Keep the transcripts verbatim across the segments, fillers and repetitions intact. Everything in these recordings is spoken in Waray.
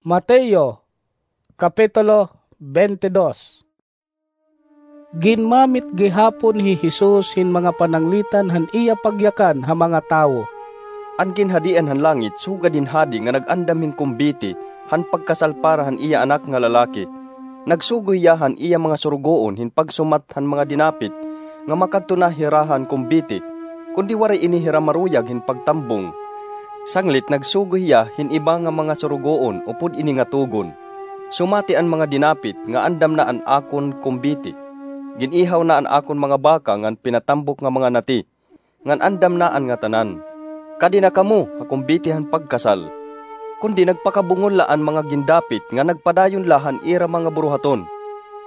Mateo, Kapitulo twenty-two. Ginmamit gihapon hi Jesus hin mga pananglitan han iya pagyakan ha mga tawo. An Ginhadian han langit sugad hin hadi nga nag-andam hin kumbiti han pagkasal para han iya anak nga lalaki. Nagsugo hiya han iya mga surugoon hin pagsumat han mga dinapit nga makadto na hira han kumbiti, kundi waray ini hira maruyag hin pagtambong. Sanglit nagsugo hiya hin iba nga mga surugoon upod ini nga tugon, "Sumati an mga dinapit nga andam na an akon kumbiti. Gin-ihaw na an akon mga baka ngan pinatambok nga mga nati, ngan andam na an ngatanan. Kadi na kamo ha kumbiti han pagkasal." Kundi nagpakabungol la an mga gindapit nga nagpadayon la han ira mga buruhaton.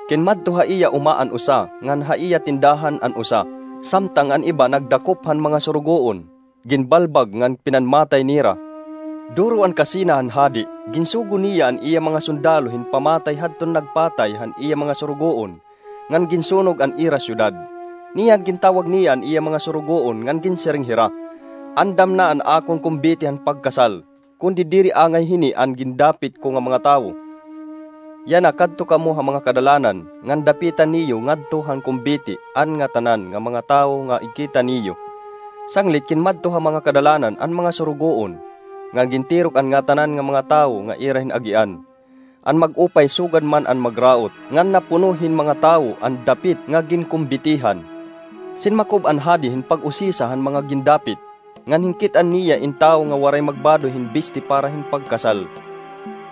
Kinmadto ha iya uma an usa, ngan ha iya tindahan an usa, samtang an iba nagdakop han mga surugoon. Ginbalbag ngan pinanmatay nira. Duro an kasina han hadi, ginsugo niya an iya mga sundalo hin pamatay hadton nagpatay han iya mga surugoon, ngan ginsunog an ira syudad. Niyan gintawag niya an iya mga surugoon ngan ginsiring hira, "Andam na an akon kumbiti han pagkasal, kundi diri angay hini an gindapit ko nga mga tawo. Yana, kadto kamo ha mga kadalanan, ngan dapitan niyo ngadto han kumbiti an ngatanan nga mga tawo nga ikita niyo." Sanglit kinmadto ha mga kadalanan an mga surugoon, ngan gintirok an ngatanan nga mga tawo nga ira hin agian. An mag-upay sugad man an magraot, ngan napuno hin mga tawo an dapit nga ginkumbitihan. Sinmakob an hadi hin pag-usisa han mga gindapit, ngan hinkit-an niya in tawo nga waray magbadoy hin bisti para hin pagkasal.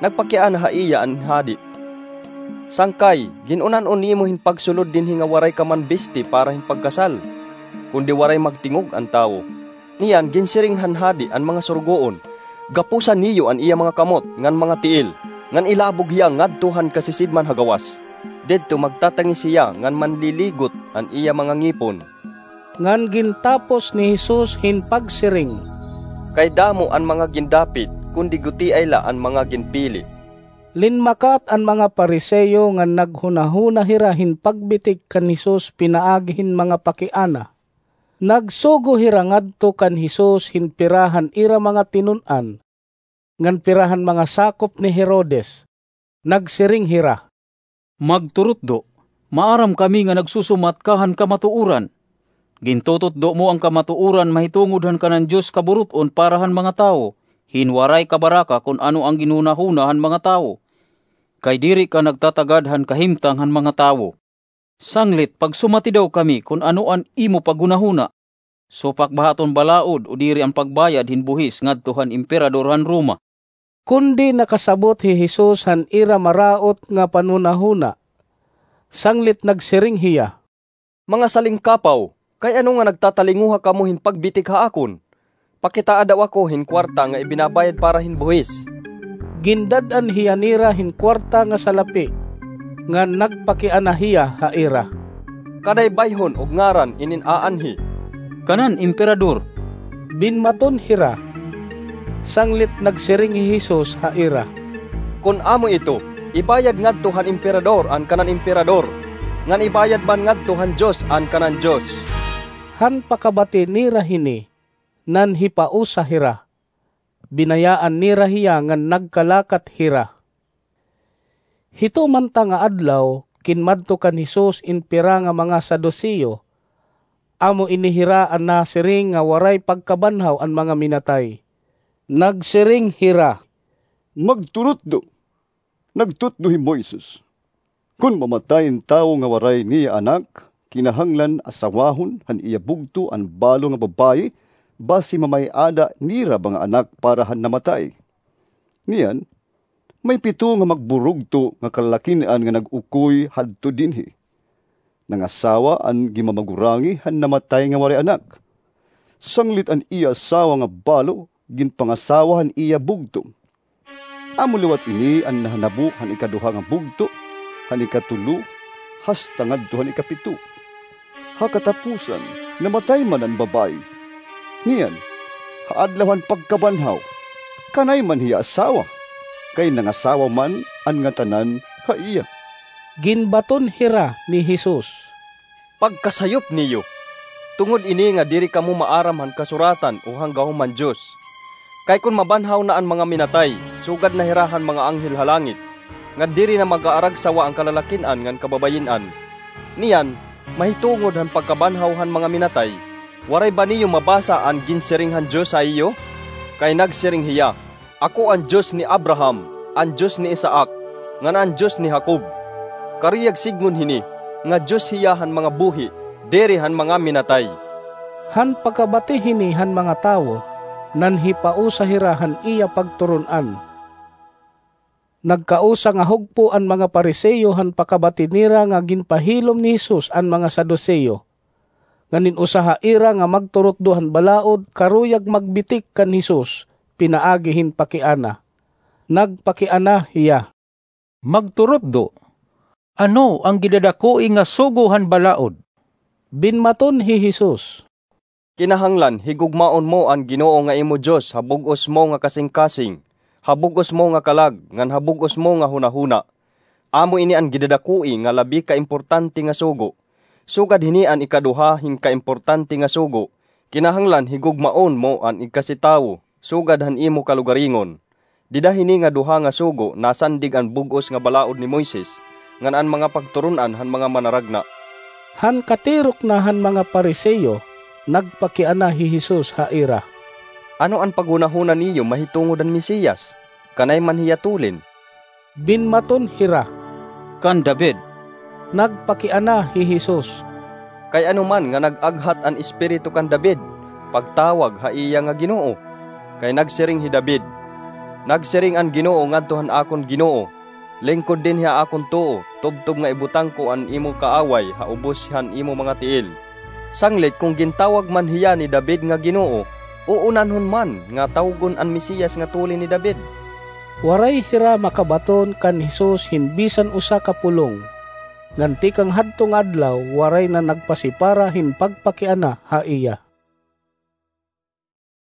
Nagpakiana ha iya an hadi, "Sangkay, gin-unan-on nimo hin pagsulod dinhi nga waray ka man bisti para hin pagkasal?" Kundi waray magtingog an tawo. Niyan ginsiring han hadi an mga surugoon, "Gapusan niyo an iya mga kamot ngan mga tiil, ngan ilabog hiya ngadto han kasisidman ha gawas. Didto magtatangis hiya ngan manliligot an iya mga ngipon." Ngan gintapos ni Jesus hin pagsiring, "Kay damo an mga gindapit, kundi gutiay la an mga ginpili." Linmakat an mga Fariseo ngan naghunahuna hira hin pagbitik kan Jesus pinaagi hin mga pakiana. Nagsugo hira ngadto kan Jesus hin pira han ira mga tinun-an, ngan pira han mga sakop ni Herodes. Nagsiring hira, "Magturutdo, maaram kami nga nagsusumat ka han kamatuoran. Gintututdo mo an kamatuoran mahitungod han kanan Dios kaburut-on para han mga tawo, hin waray kabaraka kon ano an ginhunahuna han mga tawo. Kay diri ka nagtatagad han kahimtang han mga tawo. Sanglit pagsumati daw kami kon ano an imo paghunahuna, supak ba ha aton balaod o diri an pagbayad hin buhis ngadto han Emperador han Roma?" Kundi nakasabot hi Jesus han ira maraot nga panhunahuna. Sanglit nagsiring hiya, "Mga salingkapaw, kay ano nga nagtatalinguha kamo hin pagbitik ha akon? Pakitaa daw ako hin kuwarta nga ibinabayad para hin buhis." Gindad-an hiya nira hin kuwarta nga salapi, ngan nagpakiana hiya ha ira, "Kaday bayhon ug ngaran inin aanhi?" "Kanan Emperador," binmaton hira. Sanglit nagsiring hi Jesus ha ira, "Kon amo ito, ibayad ngadto han Emperador an kanan Emperador, ngan ibayad man ngadto han Dios an kanan Dios." Han pakabati nira hini, nanhipausa hira. Binayaan nira hiya ngan nagkalakat hira. Hito man ta nga adlaw, kinmadto kan Jesus in pira nga mga Saduseo, amo ini hira an nasiring nga waray pagkabanhaw an mga minatay. Nagsiring hira, "Magturutdo. Nagtutdo hi Moises, kon mamatay in tawo nga waray niya anak, kinahanglan asawahon han iya bugto an balo nga babaye basi mamay-ada nira ba nga anak para han namatay. Niyan, may pito nga magburugto nga kalalakin-an nga nag-ukoy hadto dinhi. Nangasawa an ginmamagurangi han namatay nga waray anak. Sanglit an iya asawa nga balo ginpangasawa han iya bugto. Amo liwat ini an nahanabo han ikaduha nga bugto, han ikatulo, hasta ngadto han ikapito. Ha katapusan, namatay man an babaye. Niyan, ha adlaw han pagkabanhaw, kanay man hiya asawa, kay nangasawa man an ngatanan ha iya." Ginbaton hira ni Jesus, "Pagkasayop niyo! Tungod ini nga diri kamo maaram han Kasuratan o han gahom han Dios. Kay kon mabanhaw na an mga minatay, sugad na hira han mga anghel ha langit, ngan diri na mag-aaragsawa an kalalakin-an ngan kababayin-an. Niyan, mahitungod han pagkabanhaw han mga minatay, waray ba niyo mabasa an ginsiring han Dios ha iyo? Kay nagsiring hiya, 'Ako an Dios ni Abraham, an Dios ni Isaac, ngan an Dios ni Jacob.' Karuyag sidngon hini, nga Dios hiya han mga buhi, diri han mga minatay." Han pakabati hini han mga tawo, nanhipausa hira han iya pagturon-an. Nagkausa nga hugpo an mga Pariseo han pakabati nira nga ginpahilom ni Jesus an mga Saduceo. Ngan in usa ha ira nga magturutdo han balaod karuyag magbitik kan Jesus pinaagi hin pakiana. Nagpakiana hiya, "Magturutdo, ano an gidadakoi nga sugo han balaod?" Binmaton hi Jesus, "Kinahanglan higugmaon mo an Ginoo nga imo Dios ha bug-os mo nga kasingkasing, ha bug-os mo nga kalag, ngan ha bug-os mo nga hunahuna. Amo ini an gidadakoi nga labi ka importante nga sugo. Sugad hini an ikaduha hin kaimportante nga sugo, 'Kinahanglan higugmaon mo an igkasi tawo sugad han imo kalugaringon.' Dida hini nga duha nga sugo nasandig an bug-os nga balaod ni Moises ngan an mga pagturon-an han mga manaragna." Han katirok na han mga Pariseo, nagpakiana hi Jesus ha ira, "Ano an paghunahuna niyo mahitungod han Mesiyas? Kanay man hiya tulin?" Binmaton hira, "Kan David." Nagpakiana hi Jesus, "Kay ano man nga nag-aghat an Espiritu kan David pagtawag ha iya nga Ginoo? Kay nagsiring hi David, 'Nagsiring an Ginoo ngadto han akon Ginoo, lingkod dinhi ha akon tuo, tubtob nga ibutang ko an imo kaaway ha ubos han imo mga tiil.' Sanglit kon gintawag man hiya ni David nga Ginoo, uunanhon man nga tawgon an Mesiyas nga tulin ni David." Waray hira makabaton kan Jesus hin bisan usa ka pulong. Ngan tikang hadto nga adlaw, waray na nagpasipara hin pagpakiana ha iya.